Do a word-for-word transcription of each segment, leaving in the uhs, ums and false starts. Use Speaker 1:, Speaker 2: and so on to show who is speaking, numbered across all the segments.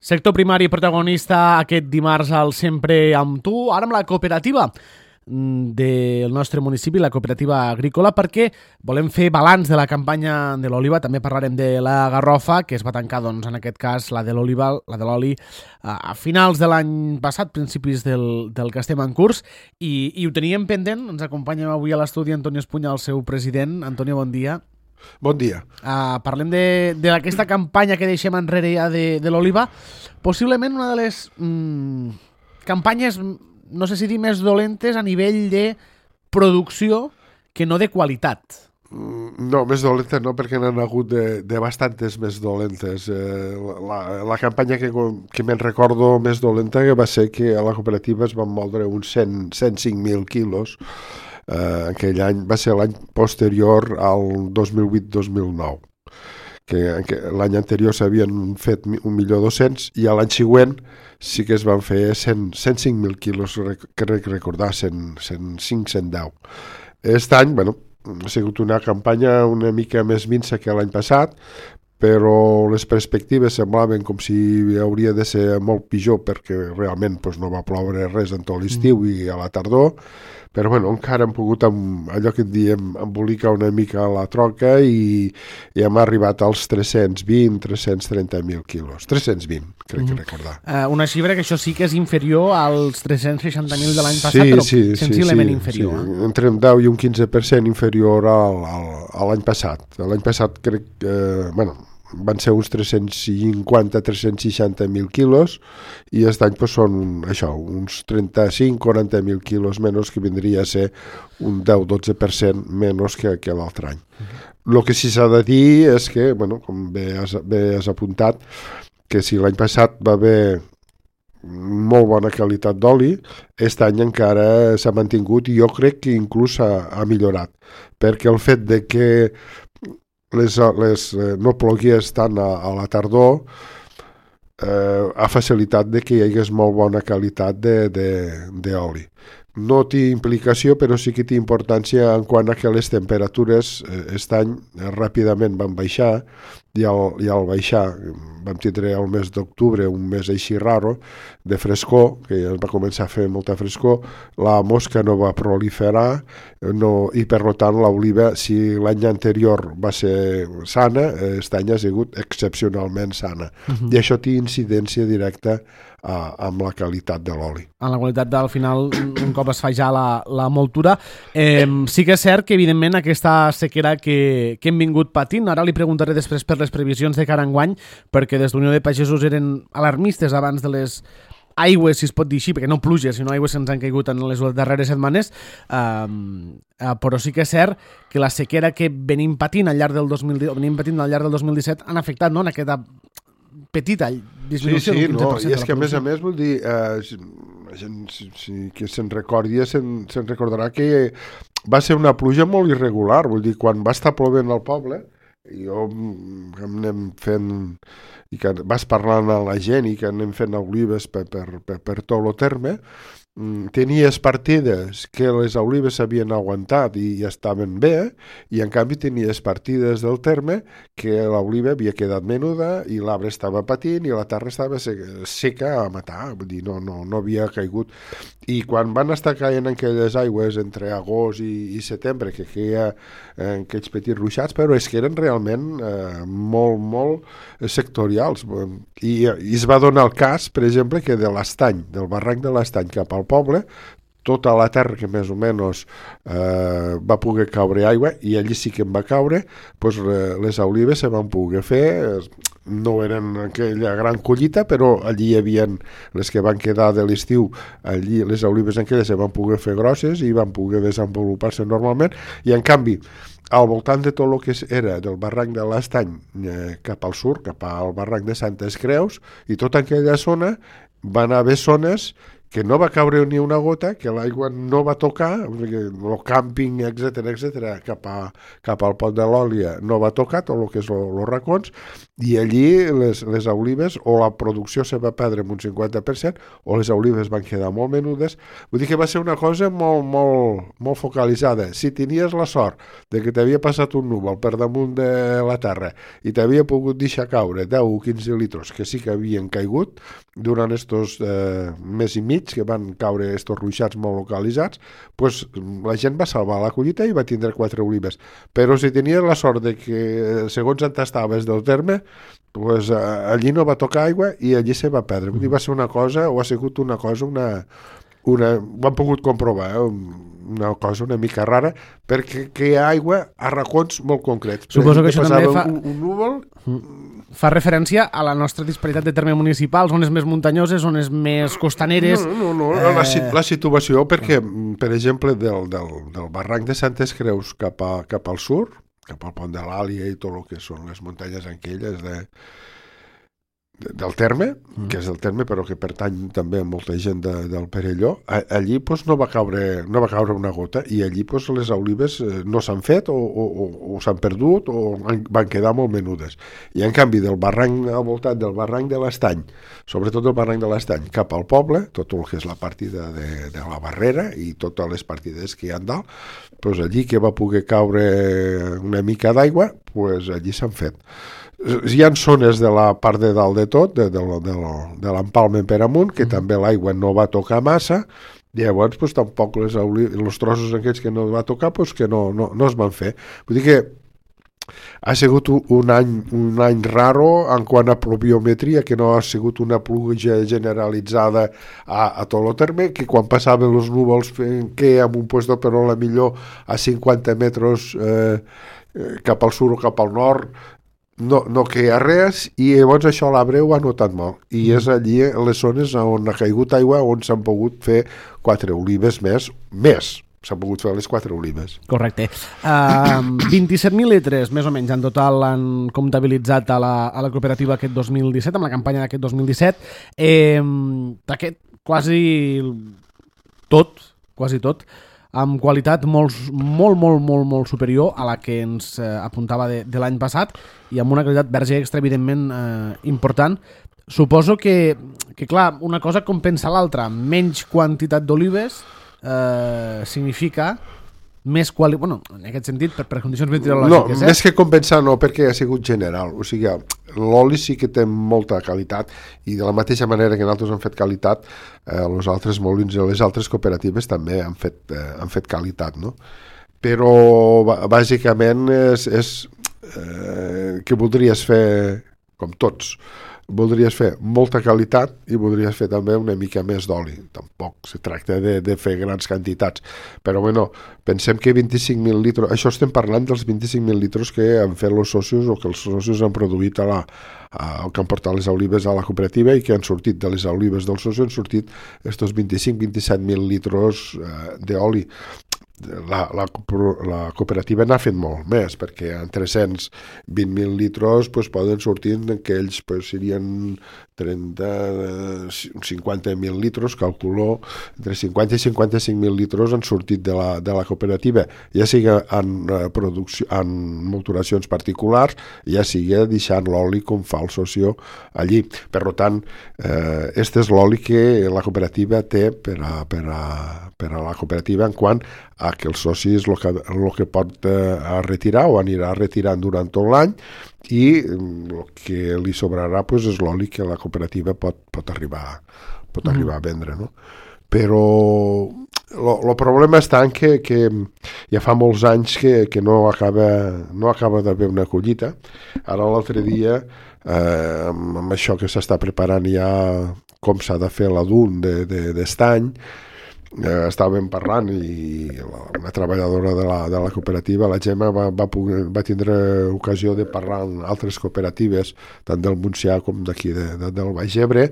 Speaker 1: Sector primari protagonista aquest dimarts al Sempre amb tu, ara amb la cooperativa del nostre municipi, la cooperativa agrícola, perquè volem fer balanç de la campanya de l'oliva. També parlarem de la garrofa, que es va tancar, doncs, en aquest cas, la de l'oliva, la de l'oli, a finals de l'any passat, principis del, del que estem en curs, i, i ho teníem pendent. Ens acompanya avui a l'estudi Antonio Espunya, el seu president. Antonio, bon dia.
Speaker 2: Bon dia.
Speaker 1: Uh, parlem d'aquesta campanya que deixem enrere ja de, de l'oliva. Possiblement una de les mm, campanyes, no sé si dir més dolentes a nivell de producció que no de qualitat.
Speaker 2: No, més dolenta no, perquè n'han hagut de, de bastantes més dolentes. Eh, la, la campanya que, que me'n recordo més dolenta que va ser que a la cooperativa es van moldre uns cent, cent cinc mil quilos. Uh, aquell any va ser l'any posterior al dos mil vuit dos mil nou, que, que l'any anterior s'havien fet un milió dos-cents i a l'any següent sí que es van fer cent, cent cinc mil quilos, crec recordar, cent, cent cinc, cent deu. Aquest any, bueno, ha sigut una campanya una mica més minsa que l'any passat, però les perspectives semblaven com si hauria de ser molt pitjor, perquè realment doncs, no va ploure res en tot l'estiu mm. i a la tardor, però bueno, encara hem pogut, amb allò que en diem, embolicar una mica la troca i, i hem arribat als tres-cents vint, tres-cents trenta mil quilos. tres-cents vint, crec mm. que recordar.
Speaker 1: Uh, una xifra que això sí que és inferior als tres-cents seixanta mil de l'any passat, sí, però sí, sensiblement sí, inferior. Sí.
Speaker 2: Eh? Entre un deu i un quinze per cent inferior al, al, a l'any passat. L'any passat crec que, eh, bueno, van ser uns tres-cents cinquanta a tres-cents seixanta mil quilos i aquest any pues, són això, uns trenta-cinc a quaranta mil quilos menys, que vindria a ser un deu a dotze per cent menys que, que l'altre any. El uh-huh. que sí s'ha de dir és que, bueno, com bé has, bé has apuntat, que si l'any passat va haver molt bona qualitat d'oli, aquest any encara s'ha mantingut i jo crec que inclús ha, ha millorat, perquè el fet de que les, les, eh, no plogués tant a, a la tardor eh, ha facilitat de que hi hagués molt bona qualitat d'oli. No té implicació, però sí que té importància en quant a que les temperatures aquest eh, any eh, ràpidament van baixar i al, i al baixar vam tindre el mes d'octubre un mes així raro de frescor, que ja va començar a fer molta frescor, la mosca no va proliferar no, i per tant l'oliva, si l'any anterior va ser sana, aquest any ha sigut excepcionalment sana. Uh-huh. I això té incidència directa a, amb la qualitat de l'oli.
Speaker 1: En la qualitat del final, un cop es fa ja la, la moltura. Eh, sí que és cert que, evidentment, aquesta sequera que, que hem vingut patint, ara li preguntaré després per les previsions de cara enguany, perquè des d'Unió de Pagesos eren alarmistes abans de les aigües, si es pot dir així, perquè no pluges, sinó aigües que ens han caigut en les darreres setmanes, eh, eh, però sí que és cert que la sequera que venim patint al llarg del dos mil disset, venim patint al llarg del dos mil disset han afectat, no?, en aquesta petita disminució
Speaker 2: sí, sí,
Speaker 1: d'un quinze per cent.
Speaker 2: No, i és que a més a més vull dir, eh, la gent si, si, que se'n recordi se'n, se'n recordarà que va ser una pluja molt irregular, vull dir, quan va estar plovent al poble, jo que anem fent i que vas parlant a la gent i que anem fent olives per, per, per, per tot el terme, tenies partides que les olives s'havien aguantat i, i estaven bé, i en canvi tenies partides del terme que l'oliva havia quedat menuda i l'arbre estava patint i la terra estava seca, seca a matar, vull dir, no, no, no havia caigut. I quan van estar caient aquelles aigües entre agost i, i setembre, que queia eh, aquells petits ruixats, però és que eren realment eh, molt, molt sectorials. I, I es va donar el cas, per exemple, que de l'Estany, del barranc de l'Estany cap al poble, tota la terra que més o menys eh, va poder caure aigua, i allí sí que en va caure, doncs, eh, les olives se van poder fer, no eren aquella gran collita, però allí hi havia les que van quedar de l'estiu, allí les olives aquelles se van poder fer grosses i van poder desenvolupar-se normalment, i en canvi al voltant de tot el que era del barranc de l'Estany eh, cap al sud, cap al barranc de Santes Creus, i tota aquella zona van haver zones que no va caure ni una gota, que l'aigua no va tocar, el càmping, etcètera, etcètera, cap, a, cap al Pont de l'Òlia no va tocar, tot el que és els racons, i allí les, les olives, o la producció se va perdre en un cinquanta per cent, o les olives van quedar molt menudes. Vull dir que va ser una cosa molt, molt, molt focalitzada. Si tenies la sort de que t'havia passat un núvol per damunt de la terra i t'havia pogut deixar caure deu o quinze litres, que sí que havien caigut durant estos eh, mes i mig, que van caure estos ruixats molt localitzats, pues, la gent va salvar la collita i va tindre quatre olives. Però si tenies la sort de que, segons on estaves del terme, pues, eh, allí no va tocar aigua i allí se va perdre. Vull dir, va ser una cosa, o ha sigut una cosa, una, una, ho han pogut comprovar, eh? una cosa una mica rara, perquè que hi ha aigua a racons molt concrets.
Speaker 1: Suposo que això també fa...
Speaker 2: Un, un núvol...
Speaker 1: Fa referència a la nostra disparitat de termes municipals, zones més muntanyoses, zones més costaneres...
Speaker 2: No, no, no, eh... la, la situació, perquè, per exemple, del, del, del barranc de Santes Creus cap, a, cap al sud, cap al Pont de l'Àlia i tot el que són les muntanyes aquelles de, de, del terme, mm. que és del terme però que pertany també a molta gent de, del Perelló, a, allí pues, no, va caure, no va caure una gota i allí pues, les olives no s'han fet o, o, o, o s'han perdut o han, van quedar molt menudes. I en canvi del barranc al voltant del barranc de l'Estany, sobretot el barranc de l'Estany, cap al poble, tot el que és la partida de, de la Barrera i totes les partides que hi ha dalt, pues allí que va poder caure una mica d'aigua, pues allí s'han fet. Hi ha zones de la part de dalt de tot, de, de, de, de l'Empalme per amunt, que mm. també l'aigua no va tocar massa, i llavors pues, tampoc les, els trossos aquests que no va tocar pues, que no, no, no es van fer. Vull dir que ha sigut un any, un any raro en quant a pluviometria, que no ha sigut una pluja generalitzada a, a tot el terme, que quan passaven els núvols que amb un puesto però la millor a cinquanta metres eh, cap al sud o cap al nord no, no queia res, i llavors això l'arbre ho ha notat molt, i és allí les zones on ha caigut aigua on s'han pogut fer quatre olives més, més s'han pogut fer les quatre olives.
Speaker 1: Correcte. Uh, vint-i-set mil litres, més o menys, en total han comptabilitzat a la, a la cooperativa aquest dos mil disset, amb la campanya d'aquest dos mil disset. Eh, d'aquest quasi tot, quasi tot, amb qualitat molt, molt, molt, molt, molt superior a la que ens eh, apuntava de, de l'any passat i amb una qualitat verge extra, evidentment, eh, important. Suposo que, que, clar, una cosa compensa l'altra. Menys quantitat d'olives eh, significa més qualitat... Bueno, en aquest sentit, per, per condicions meteorològiques.
Speaker 2: No, eh? Més que compensar no, perquè ha sigut general. O sigui, l'oli sí que té molta qualitat i de la mateixa manera que nosaltres hem fet qualitat, eh, els altres molins i les altres cooperatives també han fet, eh, han fet qualitat, no? Però bàsicament és, és eh, que voldries fer, com tots, voldries fer molta qualitat i voldries fer també una mica més d'oli. Tampoc se tracta de, de fer grans quantitats. Però bueno, pensem que vint-i-cinc mil litres, això estem parlant dels vint-i-cinc mil litres que han fet els socis o que els socis han produït a la, a, que han portat les olives a la cooperativa i que han sortit de les olives dels socis, han sortit estos vint-i-cinc a vint-i-set mil litres eh, d'oli. La, la, la cooperativa n'ha fet molt més, perquè en tres-cents vint mil litres pues, poden sortir que ells pues, serien trenta, cinquanta mil litres, calculo, entre cinquanta i cinquanta-cinc mil litres han sortit de la, de la cooperativa, ja sigui en, producció, en molturacions particulars, ja sigui deixant l'oli com fa el socio allí. Per tant, eh, este és l'oli que la cooperativa té per a, per a, per a la cooperativa en quant a que els socis el que, el que pot eh, retirar o anirà retirant durant tot l'any i el que li sobrarà pues, és l'oli que la cooperativa pot, pot, arribar, pot arribar mm. a vendre, no? Però el problema està en que, que ja fa molts anys que, que no acaba, no acaba d'haver una collita. Ara l'altre dia, eh, amb això que s'està preparant ja com s'ha de fer l'adun d'estany, de, de, Eh, estàvem parlant i una treballadora de la, de la cooperativa, la Gemma, va, va, poder, va tindre ocasió de parlar amb altres cooperatives, tant del Montsià com d'aquí de, de, del Baix Ebre,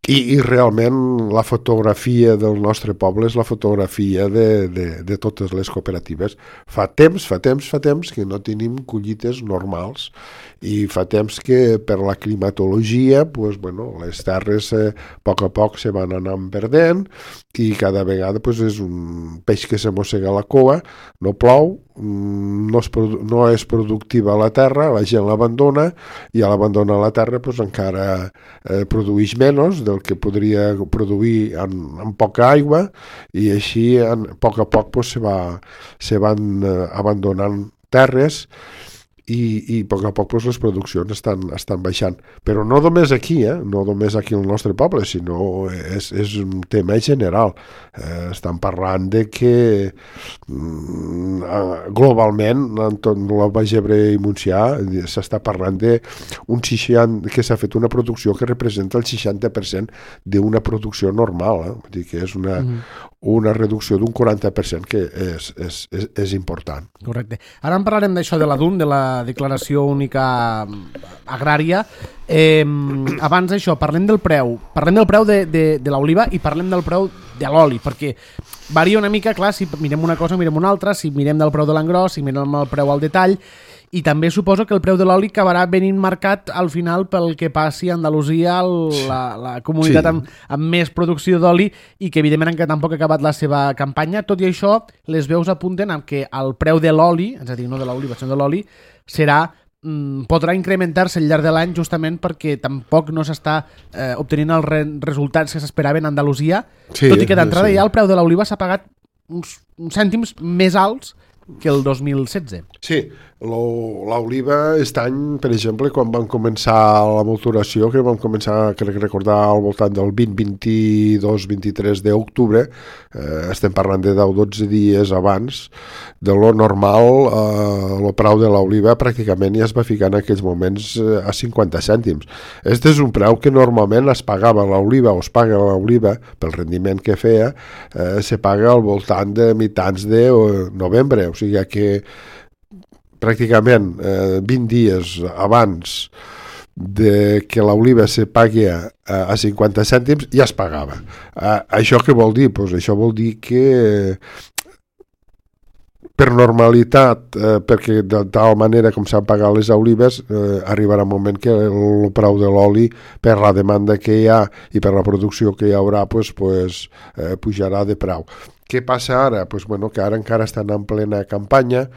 Speaker 2: I, i realment la fotografia del nostre poble és la fotografia de, de, de totes les cooperatives. Fa temps, fa temps, fa temps que no tenim collites normals i fa temps que per la climatologia pues, bueno, les terres eh, a poc a poc se van anar perdent i cada vegada pues, és un peix que se mossega la cua, no plou, no és, no és productiva la terra, la gent l'abandona i a l'abandonar la terra pues, encara eh, produeix menys del que podria produir en, en poca aigua i així en, a poc a poc pues, se, va, se van eh, abandonant terres i, i a poc a poc pues, les produccions estan, estan baixant. Però no només aquí, eh? no només aquí al nostre poble, sinó és, és un tema general. Eh, estan parlant de que mm, globalment en tot el Baix Ebre i Montsià s'està parlant d'un seixanta que s'ha fet una producció que representa el seixanta per cent d'una producció normal. Eh? Vull dir que és una, mm. una reducció d'un quaranta per cent que és, és, és, és important.
Speaker 1: Correcte. Ara en parlarem d'això de la D U N, de la Declaració Única Agrària. Eh, abans d'això, parlem del preu. Parlem del preu de, de, de l'oliva i parlem del preu de l'oli, perquè varia una mica, clar, si mirem una cosa mirem una altra, si mirem del preu de l'engròs, si mirem el preu al detall, i també suposo que el preu de l'oli acabarà venint marcat al final pel que passi a Andalusia, el, la, la comunitat sí. amb, amb més producció d'oli i que evidentment encara tampoc ha acabat la seva campanya. Tot i això, les veus apunten amb que el preu de l'oli, és a dir, no de l'oliva, sinó de l'oli, serà mm, podrà incrementar-se al llarg de l'any justament perquè tampoc no s'està eh, obtenint els re resultats que s'esperaven a Andalusia, sí, tot i que d'entrada sí. ja el preu de l'oliva s'ha pagat uns, uns cèntims més alts que el dos mil setze.
Speaker 2: Sí, l'oliva aquest any, per exemple, quan vam començar la maturació, que vam començar, crec recordar, al voltant del vint, vint-i-dos, vint-i-tres d'octubre, eh, estem parlant de deu dotze dies abans de lo normal, eh, el preu de l'oliva pràcticament ja es va ficar en aquells moments eh, a cinquanta cèntims. Este és un preu que normalment es pagava l'oliva o es paga l'oliva pel rendiment que feia, eh, se paga al voltant de mitjans de novembre, o sigui que pràcticament eh, vint dies abans de que l'oliva se pagui a, a cinquanta cèntims ja es pagava. Eh, això què vol dir? Pues això vol dir que per normalitat, eh, perquè de tal manera com s'han pagat les olives, eh, arribarà un moment que el preu de l'oli, per la demanda que hi ha i per la producció que hi haurà, pues, pues, eh, pujarà de preu. Què passa ara? Pues, bueno, que ara encara estan en plena campanya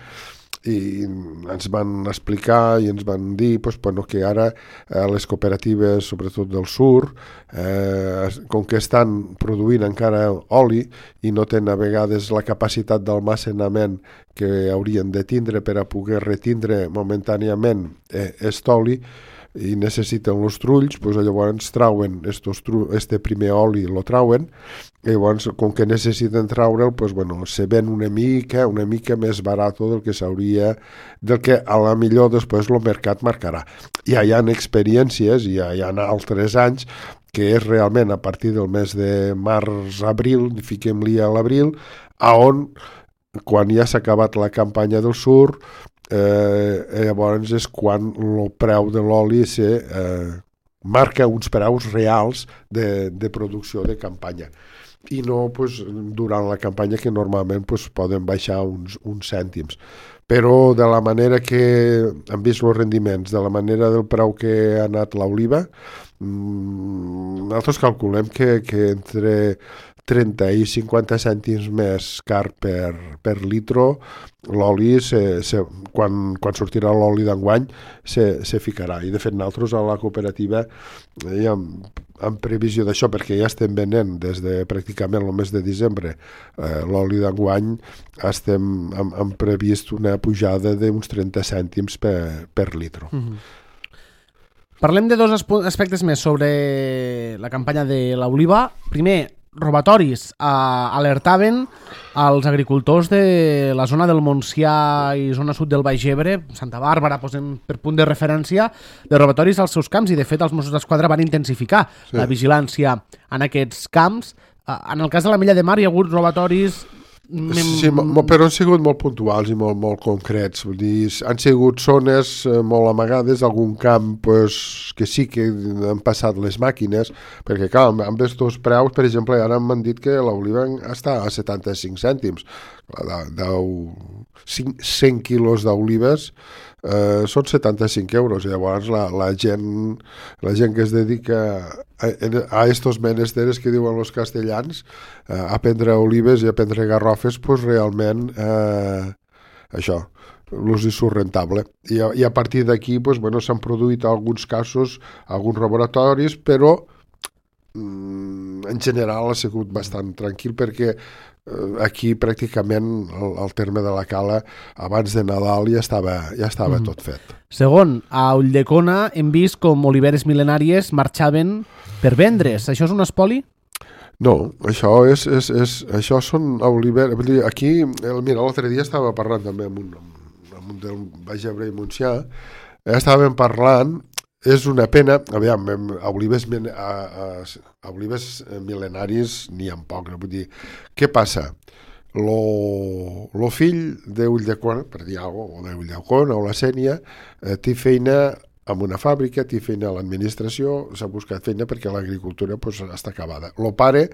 Speaker 2: i ens van explicar i ens van dir pues, bueno, que ara eh, les cooperatives, sobretot del sur, eh, com que estan produint encara oli i no tenen a vegades la capacitat d'almacenament que haurien de tindre per a poder retindre momentàniament eh, est oli, i necessiten els trulls, doncs llavors trauen estos tru este primer oli, lo trauen, i llavors, com que necessiten traure'l, doncs, bueno, se ven una mica, una mica més barat del que s'hauria, del que a la millor després el mercat marcarà. Ja hi ha experiències, ja hi ha altres anys, que és realment a partir del mes de març-abril, fiquem-li a l'abril, a on, quan ja s'ha acabat la campanya del sur, Eh, llavors és quan el preu de l'oli se eh, marca uns preus reals de, de producció de campanya i no pues, durant la campanya que normalment pues, poden baixar uns, uns cèntims, però de la manera que hem vist els rendiments, de la manera del preu que ha anat l'oliva, mmm, nosaltres calculem que, que entre trenta i cinquanta cèntims més car per, per litro, l'oli, se, se, quan, quan sortirà l'oli d'enguany, se, se ficarà. I de fet, nosaltres a la cooperativa, eh, en, en previsió d'això, perquè ja estem venent des de pràcticament el mes de desembre, eh, l'oli d'enguany, estem hem, hem previst una pujada d'uns trenta cèntims per, per litro.
Speaker 1: Mm-hmm. Parlem de dos aspectes més sobre la campanya de l'oliva. Primer, robatoris. Uh, alertaven als agricultors de la zona del Montsià i zona sud del Baix Ebre, Santa Bàrbara, posem per punt de referència, de robatoris als seus camps, i de fet els Mossos d'Esquadra van intensificar sí. la vigilància en aquests camps. Uh, en el cas de la Mella de Mar hi ha hagut robatoris
Speaker 2: Sí, mo, però han sigut molt puntuals i molt, molt concrets. Vull dir, han sigut zones eh, molt amagades, algun camp pues, que sí que han passat les màquines, perquè clar, amb, amb estos preus, per exemple, ara m'han dit que l'oliva està a setanta-cinc cèntims. De, de cent quilos d'olives eh, són setanta-cinc euros. I llavors la, la, gent, la gent que es dedica a, a estos menesteres que diuen els castellans, eh, a prendre olives i a prendre garrofes, pues realment eh, això l'ús hi surt rentable. I a, i a partir d'aquí pues, bueno, s'han produït alguns casos, alguns laboratoris, però mm, en general ha sigut bastant tranquil perquè aquí pràcticament el, el terme de la Cala abans de Nadal ja estava, ja estava mm. tot fet.
Speaker 1: Segon, a Ulldecona hem vist com oliveres mil·lenàries marxaven per vendre's. Això és un espoli?
Speaker 2: No, això és, és, és això són oliveres. Aquí, el, mira, l'altre dia estava parlant també amb un, amb un del Baix Ebre i Montsià, estàvem parlant. És una pena, aviam, a olives, a, a, a olives mil·lenaris n'hi ha poc, no? Vull dir, què passa? Lo, lo fill d'Ulldecona, per dir alguna cosa, o d'Ulldecona o la Sénia, eh, té feina en una fàbrica, té feina a l'administració, s'ha buscat feina perquè l'agricultura pues, està acabada. El pare,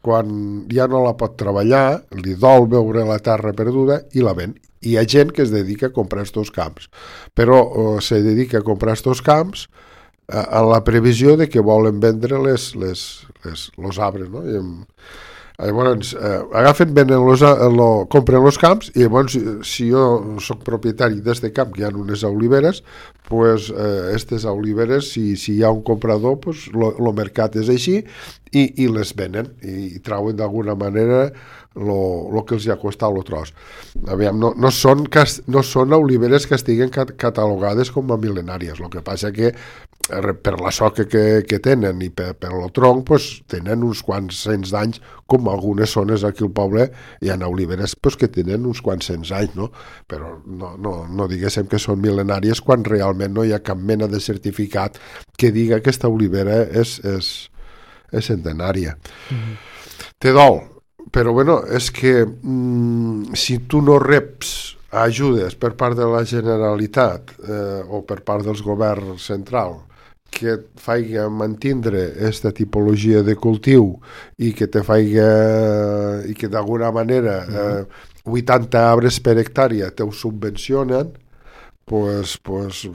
Speaker 2: quan ja no la pot treballar, li dol veure la terra perduda i la ven. Hi ha gent que es dedica a comprar estos camps, però eh, se dedica a comprar estos camps eh, a la previsió de que volen vendre les, les, les, los arbres, no? I, llavors, eh, agafen, venen los, lo, compren els camps i llavors, si jo soc propietari d'este camp, que hi ha unes oliveres, pues, eh, estes oliveres, si, si hi ha un comprador, pues, lo, lo mercat és així i, i les venen i, i trauen d'alguna manera lo, lo que els hi ha costat el tros. Aviam, no, no, són, no són oliveres que estiguen cat, catalogades com a mil·lenàries, el que passa que per la soca que, que tenen i per, per el tronc pues, tenen uns quants cents d'anys, com algunes zones aquí al poble hi ha oliveres pues, que tenen uns quants cents anys, no? Però no, no, no diguéssim que són mil·lenàries quan realment no hi ha cap mena de certificat que diga que aquesta olivera és, és, és centenària. Mm-hmm. Té dol, però bueno, és que mm, si tu no reps ajudes per part de la Generalitat eh, o per part dels governs central que et faiga mantindre aquesta tipologia de cultiu i que te faiga i que d'alguna manera eh, vuitanta arbres per hectàrea te ho subvencionen, pues, pues,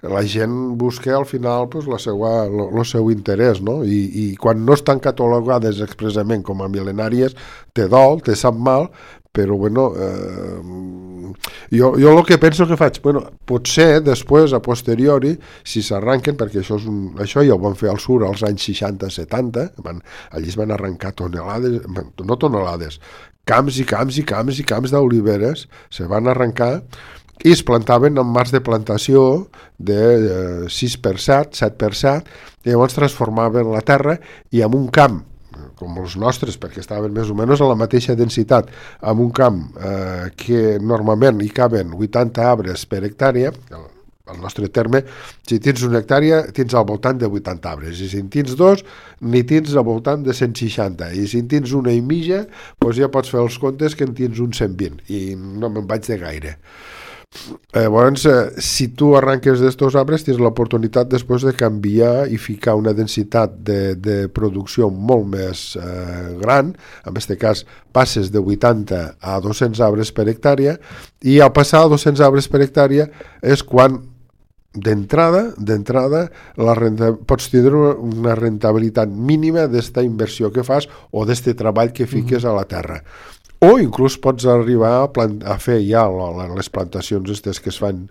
Speaker 2: la gent busca al final pues, la seua, lo, lo seu interès, no? I, i quan no estan catalogades expressament com a mil·lenàries te dol, te sap mal, però bueno, eh, jo, jo el que penso que faig, bueno, potser després, a posteriori, si s'arranquen, perquè això, és un, això ja ho van fer al sur als anys seixanta setanta, van, allí es van arrencar tonelades, no tonelades, camps i camps i camps i camps d'oliveres, se van arrencar i es plantaven en marcs de plantació de eh, sis per set, set per set, i llavors transformaven la terra i en un camp com els nostres, perquè estaven més o menys a la mateixa densitat, amb un camp eh, que normalment hi caben vuitanta arbres per hectàrea, al nostre terme, si tens una hectàrea, tens al voltant de vuitanta arbres, i si en tens dos, n'hi tens al voltant de cent seixanta, i si en tens una i mitja, doncs ja pots fer els comptes que en tens un cent vint, i no me'n vaig de gaire. Llavors, eh, si tu arranques d'estos arbres, tens l'oportunitat després de canviar i ficar una densitat de, de producció molt més eh, gran. En aquest cas, passes de vuitanta a dos-cents arbres per hectàrea, i al passar a dos-cents arbres per hectàrea és quan d'entrada, d'entrada la renta, pots tindre una rentabilitat mínima d'esta inversió que fas o d'este treball que fiques mm-hmm. a la terra. O inclús pots arribar a, plant, a fer ja les plantacions aquestes que es fan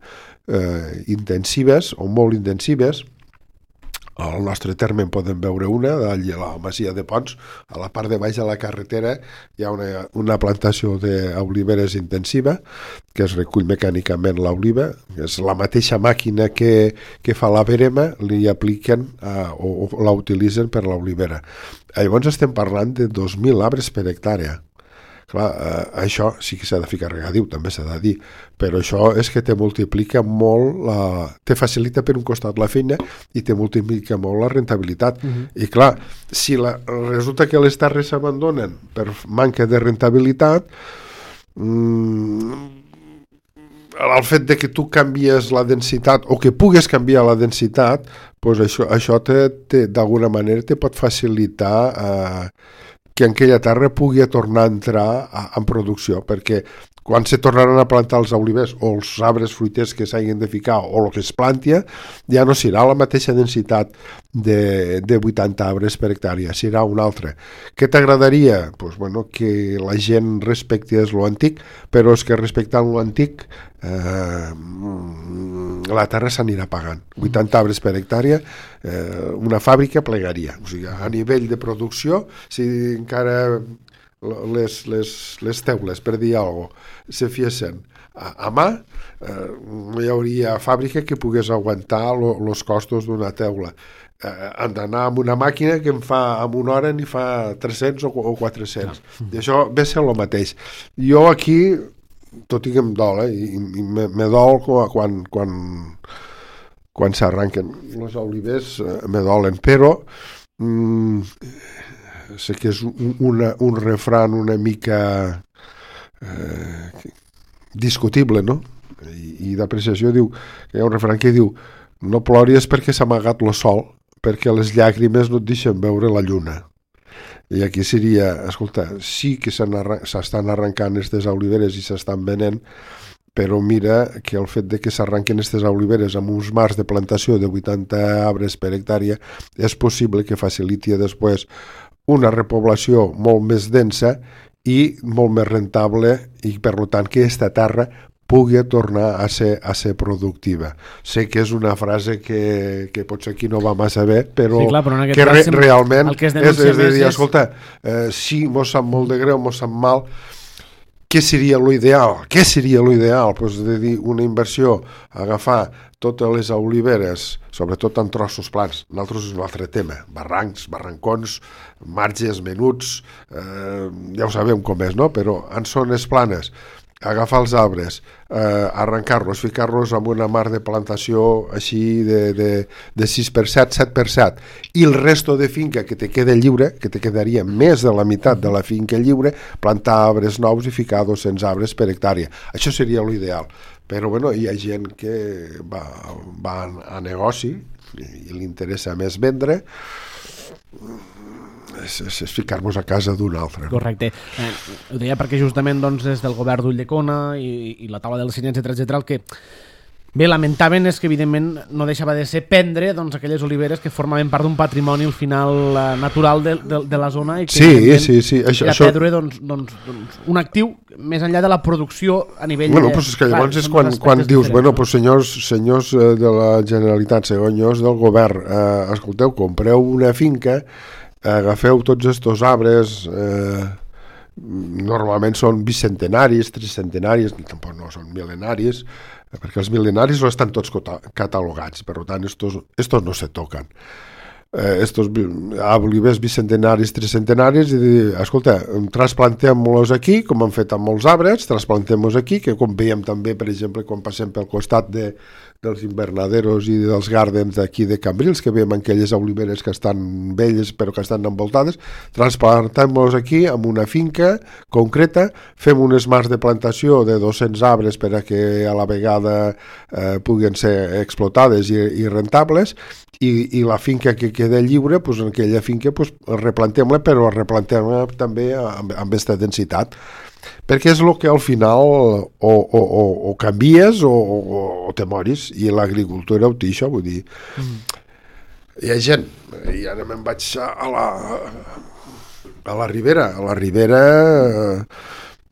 Speaker 2: eh, intensives o molt intensives. Al nostre terme en podem veure una, a la Masia de Pons, a la part de baix de la carretera hi ha una, una plantació d'oliveres intensiva, que es recull mecànicament l'oliva, és la mateixa màquina que, que fa la verema, li apliquen a, o, o la utilitzen per l'olivera. Llavors estem parlant de dos mil arbres per hectàrea. Clar, eh, això sí que s'ha de ficar regadiu, també s'ha de dir, però això és que te multiplica molt, la, te facilita per un costat la feina i te multiplica molt la rentabilitat. Uh-huh. I clar, si la, resulta que les terres s'abandonen per manca de rentabilitat, mmm, el fet de que tu canvies la densitat o que pugues canviar la densitat, doncs això, això te, te, d'alguna manera te pot facilitar eh, que en aquella terra pugui tornar a entrar a, en producció, perquè quan se tornaran a plantar els olivers o els arbres fruiters que s'hagin de ficar o el que es plantia, ja no serà la mateixa densitat de, de vuitanta arbres per hectàrea, serà una altra. Què t'agradaria? Pues, bueno, que la gent respectés lo antic, però és que respectant lo antic eh, la terra s'anirà pagant. vuitanta arbres per hectàrea, eh, una fàbrica plegaria. O sigui, a nivell de producció, si encara les, les, les teules, per dir alguna cosa, se fiessin a, a mà, eh, no hi hauria fàbrica que pogués aguantar els costos d'una teula. Eh, han d'anar amb una màquina que em fa en una hora ni fa tres-cents o, o quatre-cents. Ah. I això ve a ser el mateix. Jo aquí, tot i que em dol, eh, i, i me, me dol quan, quan, quan s'arranquen els olivers, eh, me dolen, però mm, sé que és un, una, un refran una mica eh, discutible, no? I, i d'apreciació diu, que hi ha un refran que diu no ploris perquè s'ha amagat el sol, perquè les llàgrimes no et deixen veure la lluna. I aquí seria, escolta, sí que s'estan arrencant aquestes oliveres i s'estan venent, però mira que el fet de que s'arranquen aquestes oliveres amb uns marcs de plantació de vuitanta arbres per hectàrea és possible que faciliti després una repoblació molt més densa i molt més rentable i, per tant, que aquesta terra pugui tornar a ser, a ser productiva. Sé que és una frase que, que potser aquí no va massa bé, però,
Speaker 1: sí, clar, però
Speaker 2: que re, realment
Speaker 1: que es
Speaker 2: és, és de dir, és... escolta, eh, sí, mos sap molt de greu, mos sap mal, què seria l'ideal? Què seria l'ideal? Pues de dir, una inversió, agafar totes les oliveres, sobretot en trossos plans. Nosaltres és un altre tema. Barrancs, barrancons, marges menuts, eh, ja ho sabem com és, no? Però en zones planes, agafar els arbres, eh, arrencar-los, ficar-los en una mar de plantació així de, de, de sis per set, set per set, i el resto de finca que te queda lliure, que te quedaria més de la meitat de la finca lliure, plantar arbres nous i ficar dos-cents arbres per hectàrea. Això seria l'ideal. Però bueno, hi ha gent que va, va a negoci i, i li interessa més vendre, és, és, és ficar-nos a casa d'un altre.
Speaker 1: Correcte. Eh, ho deia perquè justament doncs, des del govern d'Ulldecona i, i la taula del cine, etcètera, etcètera, el que bé lamentaven és que evidentment no deixava de ser prendre doncs, aquelles oliveres que formaven part d'un patrimoni al final eh, natural de, de, de la zona i que
Speaker 2: sí, sí, sí. Això,
Speaker 1: era
Speaker 2: això...
Speaker 1: perdre doncs, doncs, doncs, un actiu més enllà de la producció a nivell
Speaker 2: bueno,
Speaker 1: de...
Speaker 2: Pues és que llavors clar, és quan, quan dius, bueno, pues senyors, senyors de la Generalitat, senyors del govern, eh, escolteu, compreu una finca, agafeu tots estos arbres, eh, normalment són bicentenaris, tricentenaris, tampoc no són mil·lenaris, perquè els mil·lenaris no estan tots catalogats, per tant, estos, estos no se toquen. Eh, estos olivers bicentenaris, tricentenaris, i dir, escolta, trasplantem-los aquí, com han fet amb molts arbres, trasplantem-los aquí, que com veiem també, per exemple, quan passem pel costat de, dels invernaderos i dels gardens d'aquí de Cambrils, que veiem aquelles oliveres que estan velles però que estan envoltades, transplantem-los aquí en una finca concreta, fem unes mars de plantació de dos-cents arbres per a que a la vegada eh, puguen ser explotades i, i rentables, i, i la finca que queda lliure, pues, en aquella finca pues, replantem-la, però replantem-la també amb, amb aquesta densitat, perquè és el que al final o, o, o, o canvies o, o, o te moris, i l'agricultura ho té això, vull dir mm. hi ha gent, i ara me'n vaig a la a la Ribera a la Ribera eh,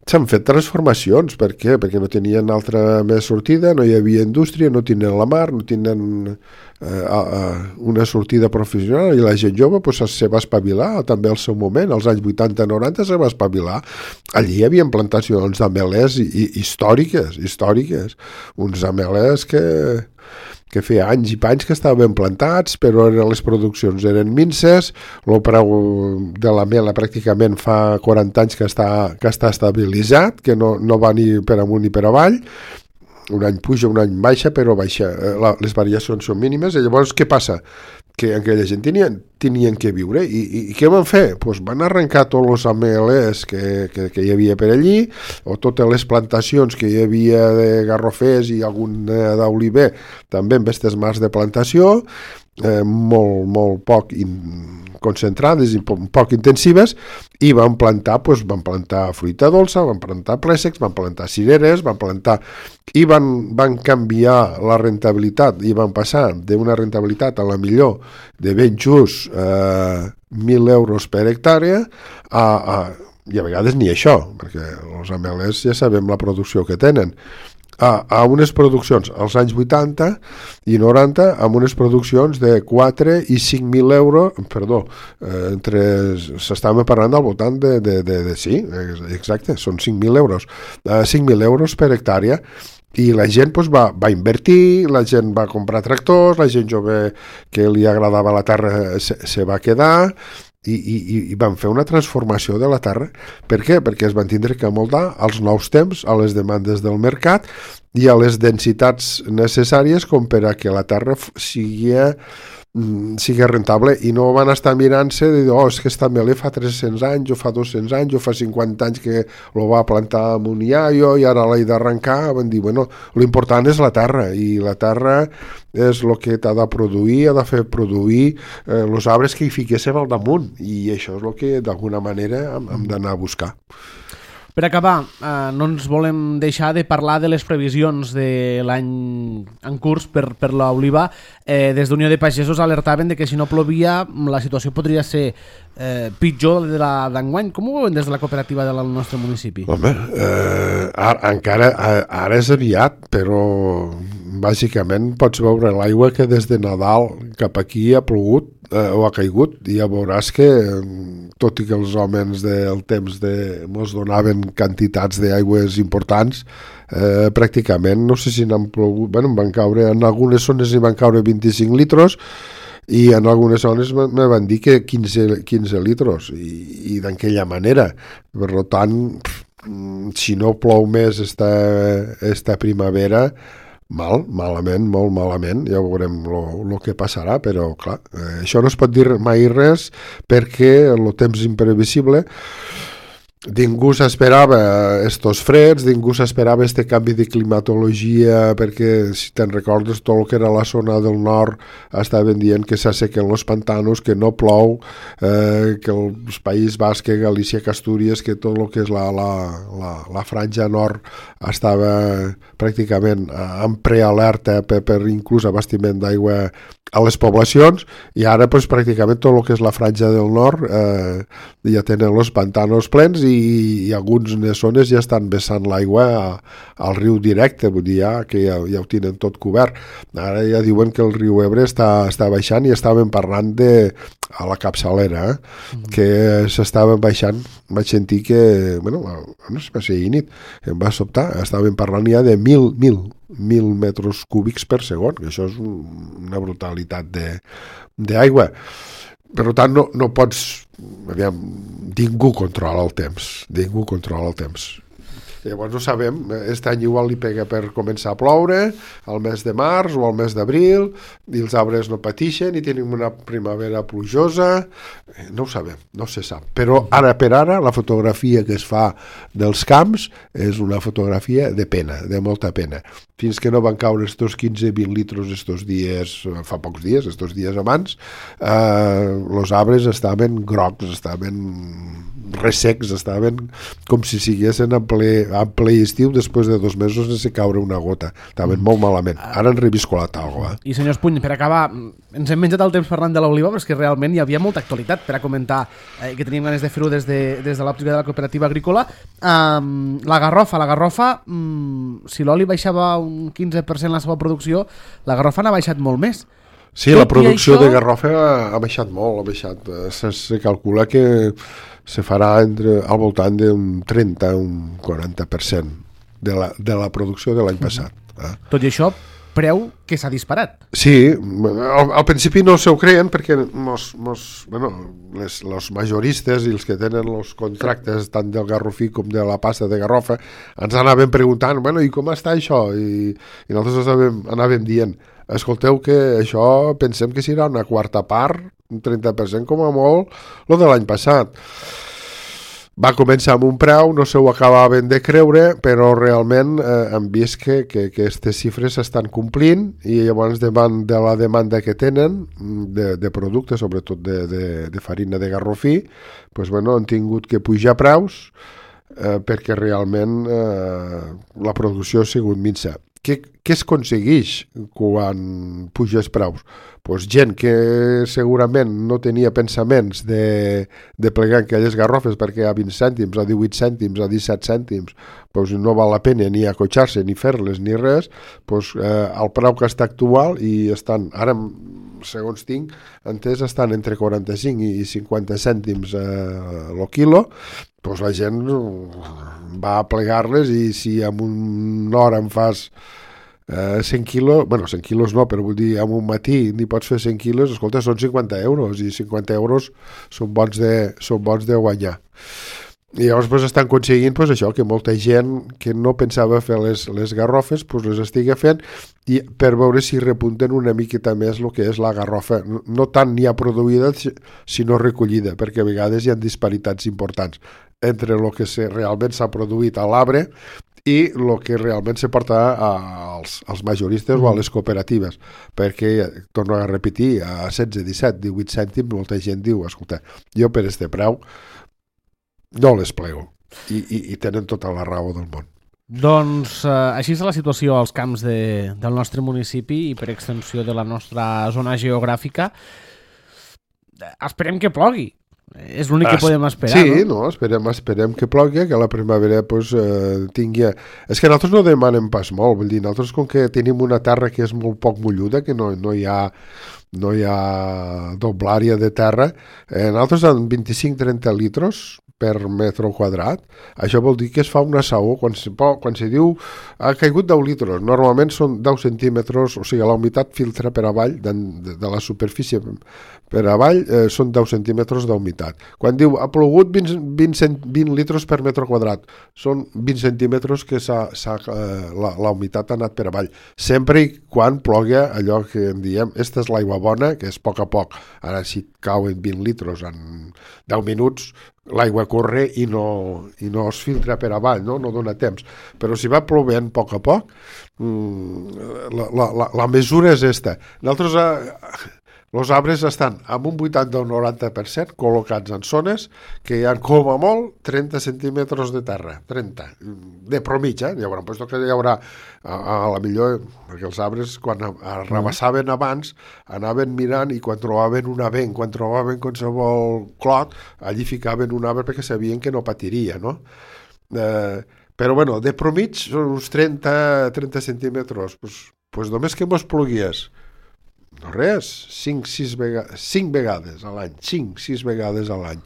Speaker 2: s'han fet transformacions. Per què? Perquè no tenien altra més sortida, no hi havia indústria, no tenien la mar, no tenien eh, una sortida professional, i la gent jove pues, se va espavilar també al seu moment, als anys vuitanta noranta se va espavilar. Allí hi havia plantacions d'amelers i, i, històriques, històriques, uns amelers que que feia anys i panys que estaven plantats, però les produccions eren minces, el preu de la mela pràcticament fa quaranta anys que està, que està estabilitzat, que no, no va ni per amunt ni per avall, un any puja, un any baixa, però baixa, la, les variacions són mínimes, i llavors què passa? Que aquella gent tenien, tenien que viure, i, i, i què van fer? Pues van arrencar tots els amelers que, que, que hi havia per allí, o totes les plantacions que hi havia de garrofers i algun d'oliver, també amb aquestes mars de plantació, eh, molt, molt poc in, concentrades i poc, poc intensives, i van plantar, doncs, van plantar fruita dolça, van plantar préssecs, van plantar cireres, van plantar... i van, van canviar la rentabilitat, i van passar d'una rentabilitat a la millor de ben just eh, mil euros per hectàrea a, a, i a vegades ni això, perquè els amelers ja sabem la producció que tenen, a, a unes produccions als anys vuitanta i noranta, amb unes produccions de quatre i cinc mil euros, perdó, eh, entre, s'estava parlant al voltant de, de, de, de sí, exacte, són cinc mil euros, eh, cinc mil euros per hectàrea, i la gent doncs, va, va invertir, la gent va comprar tractors, la gent jove que li agradava la terra se, se va quedar, i, i, i van fer una transformació de la terra. Per què? Perquè es van tindre que amoldar als nous temps, a les demandes del mercat i a les densitats necessàries com per a que la terra sigui, sigui rentable, i no van estar mirant-se de dir, oh, és que esta mele fa tres-cents anys o fa dos-cents anys o fa cinquanta anys que lo va plantar amb un iaio i ara l'he d'arrencar. Van dir, bueno, l'important és la terra, i la terra és el que t'ha de produir, ha de fer produir eh, els arbres que hi fiquéssim al damunt, i això és el que d'alguna manera hem, hem d'anar a buscar.
Speaker 1: Per acabar, eh, no ens volem deixar de parlar de les previsions de l'any en curs per, per l'oliva. Eh, des d'Unió de Pagesos alertaven de que si no plovia la situació podria ser eh, pitjor de la d'enguany. Com ho veuen des de la cooperativa del nostre municipi?
Speaker 2: Home, eh, ara, encara ara és aviat, però bàsicament pots veure l'aigua que des de Nadal cap aquí ha plogut eh, o ha caigut, i ja veuràs que tot i que els homes del temps de, mos donaven quantitats d'aigües importants, eh, pràcticament no sé si n'han plogut, bueno, van caure, en algunes zones hi van caure vint-i-cinc litros, i en algunes zones me van dir que quinze, quinze litros, i, i d'aquella manera. Per tant, si no plou més esta, esta primavera, mal, malament, molt malament, ja veurem el que passarà, però clar, eh, això no es pot dir mai res, perquè el temps imprevisible. Ningú s'esperava estos freds, ningú s'esperava este canvi de climatologia, perquè si te'n recordes tot el que era la zona del nord estaven dient que s'assequen els pantanos, que no plou, eh, que els País Basc, Galícia, Astúries, que tot el que és la, la, la, la franja nord estava pràcticament en prealerta per, per inclús abastiment d'aigua a les poblacions, i ara pues, pràcticament tot el que és la franja del nord eh, ja tenen els pantanos plens, i, i algunes zones ja estan vessant l'aigua a, al riu directe, vull dir ja, que ja, ja ho tenen tot cobert. Ara ja diuen que el riu Ebre està, està baixant, i estaven parlant de a la capçalera, eh? Mm-hmm. que s'estaven baixant. Vaig sentir que, bueno, no sé si ahir nit, em va sobtar, estaven parlant ja de mil, mil, mil metres cúbics per segon, que això és una brutalitat d'aigua. Per tant, no, no pots... Aviam, ningú controla el temps, ningú controla el temps. Llavors no sabem, aquest any igual li pega per començar a ploure al mes de març o al mes d'abril, i els arbres no patixen i tenim una primavera plujosa, no ho sabem, no se sap. Però ara per ara la fotografia que es fa dels camps és una fotografia de pena, de molta pena. Fins que no van caure estos quinze vint litros estos dies, fa pocs dies, estos dies abans, eh, els arbres estaven grocs, estaven ressecs, estaven com si siguessin en ple, en ple estiu després de dos mesos sense caure una gota. Estaven molt malament. Ara han reviscolat alguna cosa.
Speaker 1: I senyors Puny, per acabar, ens hem menjat el temps parlant de l'oliva, però és que realment hi havia molta actualitat per a comentar, eh, que teníem ganes de fer-ho des de, des de l'òptica de la cooperativa agrícola. Um, la garrofa, la garrofa, um, si l'oli baixava un quinze per cent la seva producció, la garrofa n'ha baixat molt més.
Speaker 2: Sí, tot la producció això... de garrofa ha baixat molt, ha baixat. Se, se calcula que se farà entre, al voltant d'un trenta, un quaranta per cent de la, de la producció de l'any passat. Eh?
Speaker 1: Tot i això, preu que s'ha disparat.
Speaker 2: Sí, al, al principi no s'ho creien perquè mos, mos, bueno, les, els majoristes i els que tenen els contractes tant del garrofí com de la pasta de garrofa ens anaven preguntant, bueno, i com està això? I, i nosaltres anàvem, anàvem dient, escolteu que això pensem que serà una quarta part, un trenta per cent com a molt, el de l'any passat. Va començar amb un preu, no se ho acabaven de creure, però realment eh, hem vist que, que, que aquestes xifres s'estan complint i llavors davant de la demanda que tenen de, de productes, sobretot de, de, de farina de garrofí, pues, bueno, han tingut que pujar preus eh, perquè realment eh, la producció ha sigut minsa. Què, què es aconsegueix quan puges preus? Pues gent que segurament no tenia pensaments de, de plegar aquelles garrofes perquè a vint cèntims, a divuit cèntims, a disset cèntims pues no val la pena ni acotxar-se, ni fer-les, ni res, pues, eh, el preu que està actual i estan, ara segons tinc, entès estan entre quaranta-cinc i cinquanta cèntims eh, el quilo, pues la gent va a plegar-les i si en una hora em fas Uh, cent quilos, bueno, cent quilos no, però vull dir, en un matí n'hi pots fer cent quilos, escolta, són cinquanta euros, i cinquanta euros són bons de, són bons de guanyar. I llavors pues, estan aconseguint pues, això, que molta gent que no pensava fer les, les garrofes pues, les estigui fent i per veure si repunten una miqueta més el que és la garrofa, no, no tant ni ha produïda sinó recollida, perquè a vegades hi ha disparitats importants entre el que se, realment s'ha produït a l'arbre i el que realment se porta als, als majoristes o a les cooperatives, perquè, torno a repetir, a setze, disset, divuit cèntims molta gent diu, escolta, jo per este preu no les plego i, i, i tenen tota la raó del món.
Speaker 1: Doncs eh, així és la situació als camps de, del nostre municipi i per extensió de la nostra zona geogràfica. Esperem que plogui. És l'únic que podem esperar,
Speaker 2: sí,
Speaker 1: no?
Speaker 2: no, esperem, esperem que plogui, que la primavera pues, eh, tingui... És que nosaltres no demanem pas molt, vull dir, nosaltres com que tenim una terra que és molt poc molluda, que no, no hi ha no hi ha doble àrea de terra, eh, nosaltres amb vint-i-cinc a trenta litres per metre quadrat, això vol dir que es fa una saó, quan se, quan se diu ha caigut deu litres, normalment són deu centímetres, o sigui, la humitat filtra per avall, de, de, de la superfície per avall, eh, són deu centímetres d'humitat. Quan diu ha plogut vint, vint, vint litres per metre quadrat, són vint centímetres que s'ha, s'ha, eh, la, la humitat ha anat per avall. Sempre i quan plogui allò que en diem, esta és l'aigua bona, que és a poc a poc. Ara si cauen vint litres en deu minuts, l'aigua corre i no, i no es filtra per avall, no? No dona temps. Però si va plovent a poc a poc, la, la, la, la mesura és esta. Nosaltres, eh, els arbres estan amb un vuitanta o noranta per cent col·locats en zones que hi ha com a molt trenta centímetres de terra, trenta, de promitja, eh? Hi haurà, pues, que hi haurà a, a la millor, perquè els arbres quan arrabassaven abans anaven mirant i quan trobaven un avenc, quan trobaven qualsevol clot, allí ficaven un arbre perquè sabien que no patiria, no? Eh, però bueno, de promig són uns trenta, trenta centímetres, pues, pues només que mos plogués no res, cinc sis vegades, cinc vegades a l'any, cinc sis vegades a l'any,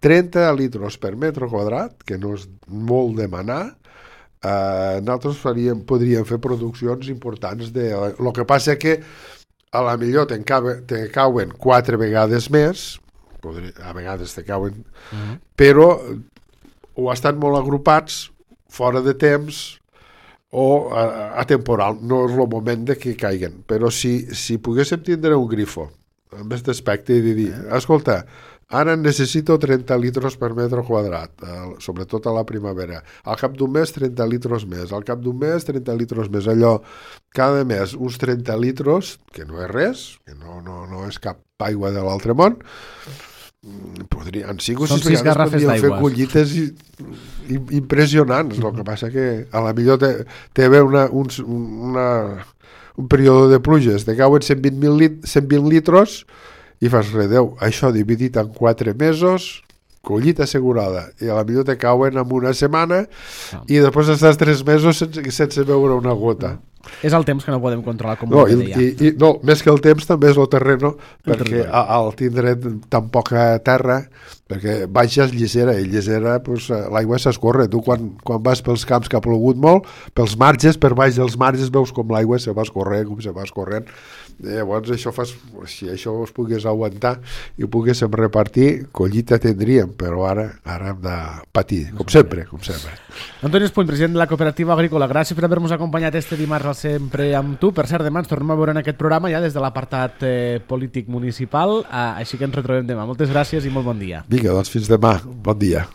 Speaker 2: trenta litres per metre quadrat, que no és molt demanar, eh, nosaltres faríem, podríem fer produccions importants. De, el que passa que a la millor te, cabe, te cauen quatre vegades més, podria, a vegades te cauen, uh-huh. però o estan molt agrupats, fora de temps, o atemporal, no és el moment de que caiguen, però si, si poguéssim tindre un grifo amb aquest aspecte i dir, escolta, ara necessito trenta litres per metre quadrat, eh, sobretot a la primavera, al cap d'un mes trenta litres més, al cap d'un mes trenta litres més, allò, cada mes uns trenta litres, que no és res, que no, no, no és cap aigua de l'altre món, podria, en cinc o sis vegades podríem fer collites i, i, impressionants. El que passa que a la millor té, té haver una, un, una, un període de pluges, te cauen cent vint, lit, cent vint litres i fas res, Déu, això dividit en quatre mesos, collita assegurada, i a la millor te cauen en una setmana i després estàs tres mesos sense, sense veure una gota.
Speaker 1: És el temps que no podem controlar, com
Speaker 2: no,
Speaker 1: ho
Speaker 2: i,
Speaker 1: deia.
Speaker 2: I, i, no, més que el temps també és el terreno,
Speaker 1: El
Speaker 2: perquè
Speaker 1: terreno.
Speaker 2: al tindre tan poca terra, perquè baixes llisera, i llisera pues, l'aigua s'escorre. Tu quan, quan vas pels camps que ha plogut molt, pels marges, per baix dels marges veus com l'aigua se va escorrent, com se va escorrent. Llavors això fas, si això es pogués aguantar i ho poguéssim repartir, collita tindríem, però ara ara hem de patir, com sempre, com sempre.
Speaker 1: Antoni Espuny, president de la Cooperativa Agrícola, gràcies per haver-nos acompanyat este dimarts al Sempre amb tu. Per cert, demà ens tornem a veure en aquest programa ja des de l'apartat eh, polític municipal, eh, així que ens retrobem demà. Moltes gràcies i molt bon dia.
Speaker 2: Vinga, doncs fins demà, bon dia.